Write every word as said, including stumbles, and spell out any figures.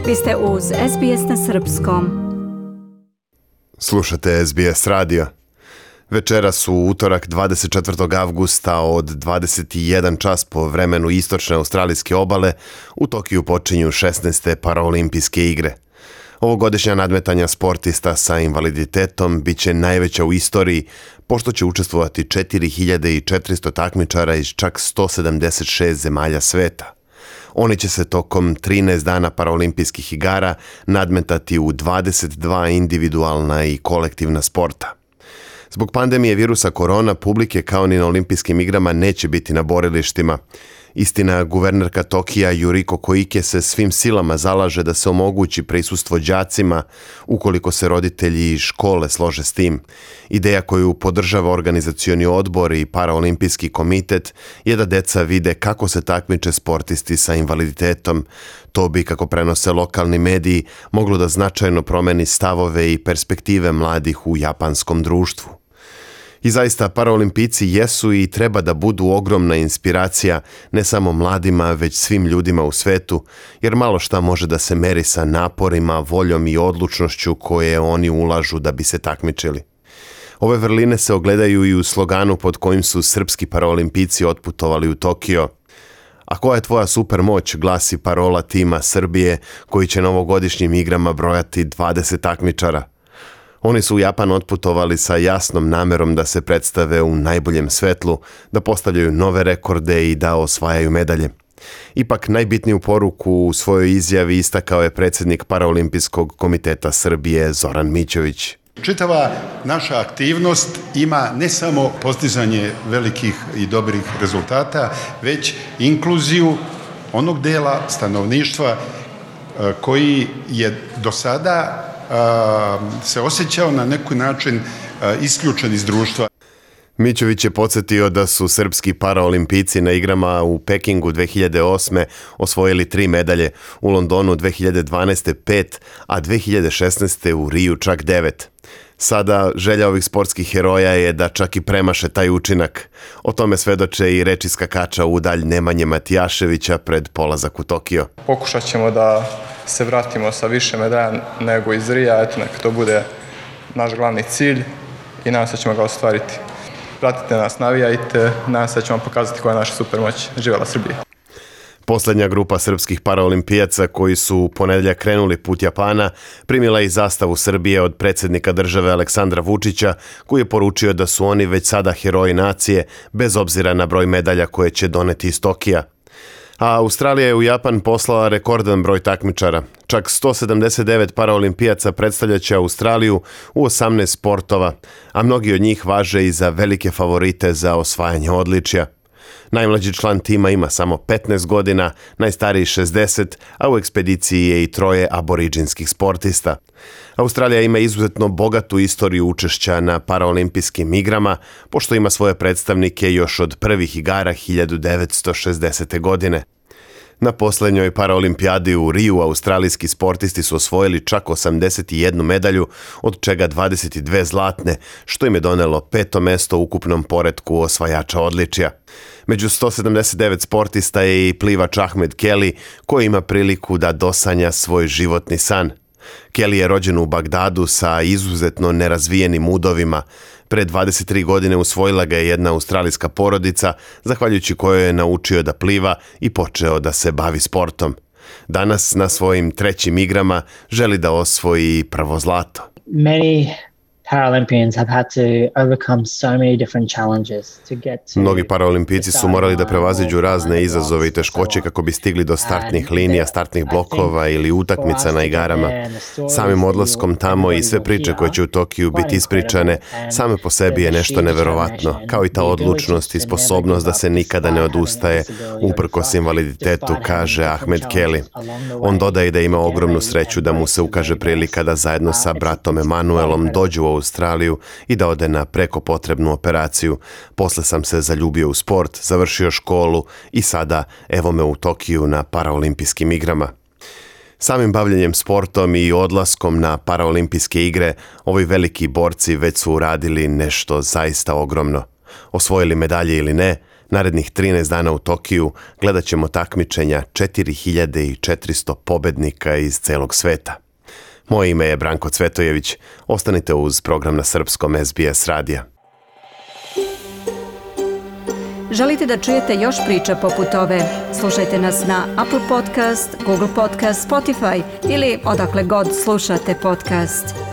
Vi ste uz S B S na srpskom. Slušate S B S radio. Večeras u utorak dvadeset četvrtog avgusta od dvadeset jedan čas po vremenu istočne australijske obale u Tokiju počinju šesnaeste paraolimpijske igre. Ovogodišnja nadmetanja sportista sa invaliditetom bit će najveća u istoriji, pošto će učestvovati četiri hiljade četiristo takmičara iz čak sto sedamdeset šest zemalja sveta. Oni će se tokom trinaest dana paraolimpijskih igara nadmetati u dvadeset dva individualna i kolektivna sporta. Zbog pandemije virusa korona, publike kao ni na olimpijskim igrama neće biti na borilištima. Istina, guvernerka Tokija Yuriko Koike se svim silama zalaže da se omogući prisustvo đacima ukoliko se roditelji i škole slože s tim. Ideja koju podržava organizacioni odbor i paraolimpijski komitet je da deca vide kako se takmiče sportisti sa invaliditetom. To bi, kako prenose lokalni mediji, moglo da značajno promeni stavove i perspektive mladih u japanskom društvu. I zaista, paraolimpijci jesu i treba da budu ogromna inspiracija ne samo mladima, već svim ljudima u svetu, jer malo šta može da se meri sa naporima, voljom i odlučnošću koje oni ulažu da bi se takmičili. Ove vrline se ogledaju i u sloganu pod kojim su srpski paraolimpijci otputovali u Tokio. A koja je tvoja super moć, glasi parola tima Srbije, koji će na ovogodišnjim igrama brojati dvadeset takmičara. Oni su u Japan otputovali sa jasnom namerom da se predstave u najboljem svetlu, da postavljaju nove rekorde i da osvajaju medalje. Ipak najbitniju poruku u svojoj izjavi istakao je predsjednik Paraolimpijskog komiteta Srbije Zoran Mićović. Čitava naša aktivnost ima ne samo postizanje velikih i dobrih rezultata, već inkluziju onog dela stanovništva koji je do sada se osjećao na neki način isključen iz društva. Mićović je podsjetio da su srpski paraolimpijci na igrama u Pekingu dve hiljade osme osvojili tri medalje, u Londonu dve hiljade dvanaeste pet, a dve hiljade šesnaeste u Riju čak devet. Sada želja ovih sportskih heroja je da čak i premaše taj učinak. O tome svedoče i reči skakača u dalj Nemanje Matijaševića pred polazak u Tokio. Pokušat ćemo da se vratimo sa više medalja nego iz Rija, eto neka to bude naš glavni cilj i nadam se da ćemo ga ostvariti. Pratite nas, navijajte, nadam se da ćemo pokazati koja je naša supermoć. Živjela Srbija! Posljednja grupa srpskih paraolimpijaca koji su u ponedjeljak krenuli put Japana primila i zastavu Srbije od predsjednika države Aleksandra Vučića, koji je poručio da su oni već sada heroji nacije, bez obzira na broj medalja koje će doneti iz Tokija. A Australija je u Japan poslala rekordan broj takmičara. Čak sto sedamdeset devet paraolimpijaca predstavljaće Australiju u osamnaest sportova, a mnogi od njih važe i za velike favorite za osvajanje odličja. Najmlađi član tima ima samo petnaest godina, najstariji šezdeset, a u ekspediciji je i troje aboriđinskih sportista. Australija ima izuzetno bogatu istoriju učešća na paraolimpijskim igrama, pošto ima svoje predstavnike još od prvih igara hiljadu devetsto šezdesete. godine. Na posljednjoj paraolimpijadi u Riju australijski sportisti su osvojili čak osamdeset jednu medalju, od čega dvadeset dve zlatne, što im je donelo peto mesto u ukupnom poretku osvajača odličja. Među sto sedamdeset devet sportista je i plivač Ahmed Kelly, koji ima priliku da dosanja svoj životni san. Kelly je rođen u Bagdadu sa izuzetno nerazvijenim udovima. Pre dvadeset tri godine usvojila ga je jedna australijska porodica, zahvaljujući kojoj je naučio da pliva i počeo da se bavi sportom. Danas na svojim trećim igrama želi da osvoji prvo zlato. Many Paralympians have had to overcome so many different challenges to get to. Mnogi paraolimpijci su morali da prevaziđu razne izazove i teškoće kako bi stigli do startnih linija, startnih blokova ili utakmica na igarama. Samim odlaskom tamo i sve priče koje će u Tokiju biti ispričane, same po sebi je nešto neverovatno, kao i ta odlučnost i sposobnost da se nikada ne odustaje uprkos invaliditetu, kaže Ahmed Kelly. On dodaje da ima ogromnu sreću da mu se ukaže prilika da zajedno sa bratom Emanuelom dođu u Australiju i da ode na preko potrebnu operaciju. Posle sam se zaljubio u sport, završio školu i sada evo me u Tokiju na paraolimpijskim igrama. Samim bavljenjem sportom i odlaskom na paraolimpijske igre, ovi veliki borci već su uradili nešto zaista ogromno. Osvojili medalje ili ne, Narednih trinaest dana u Tokiju gledat ćemo takmičenja četiri hiljade četiristo pobednika iz celog sveta. Moje ime je Branko Cvetojević. Ostanite uz program na srpskom S B S radija. Želite da čujete još priča poput ove? Slušajte nas na Apple Podcast, Google Podcast, Spotify ili odakle god slušate podcast.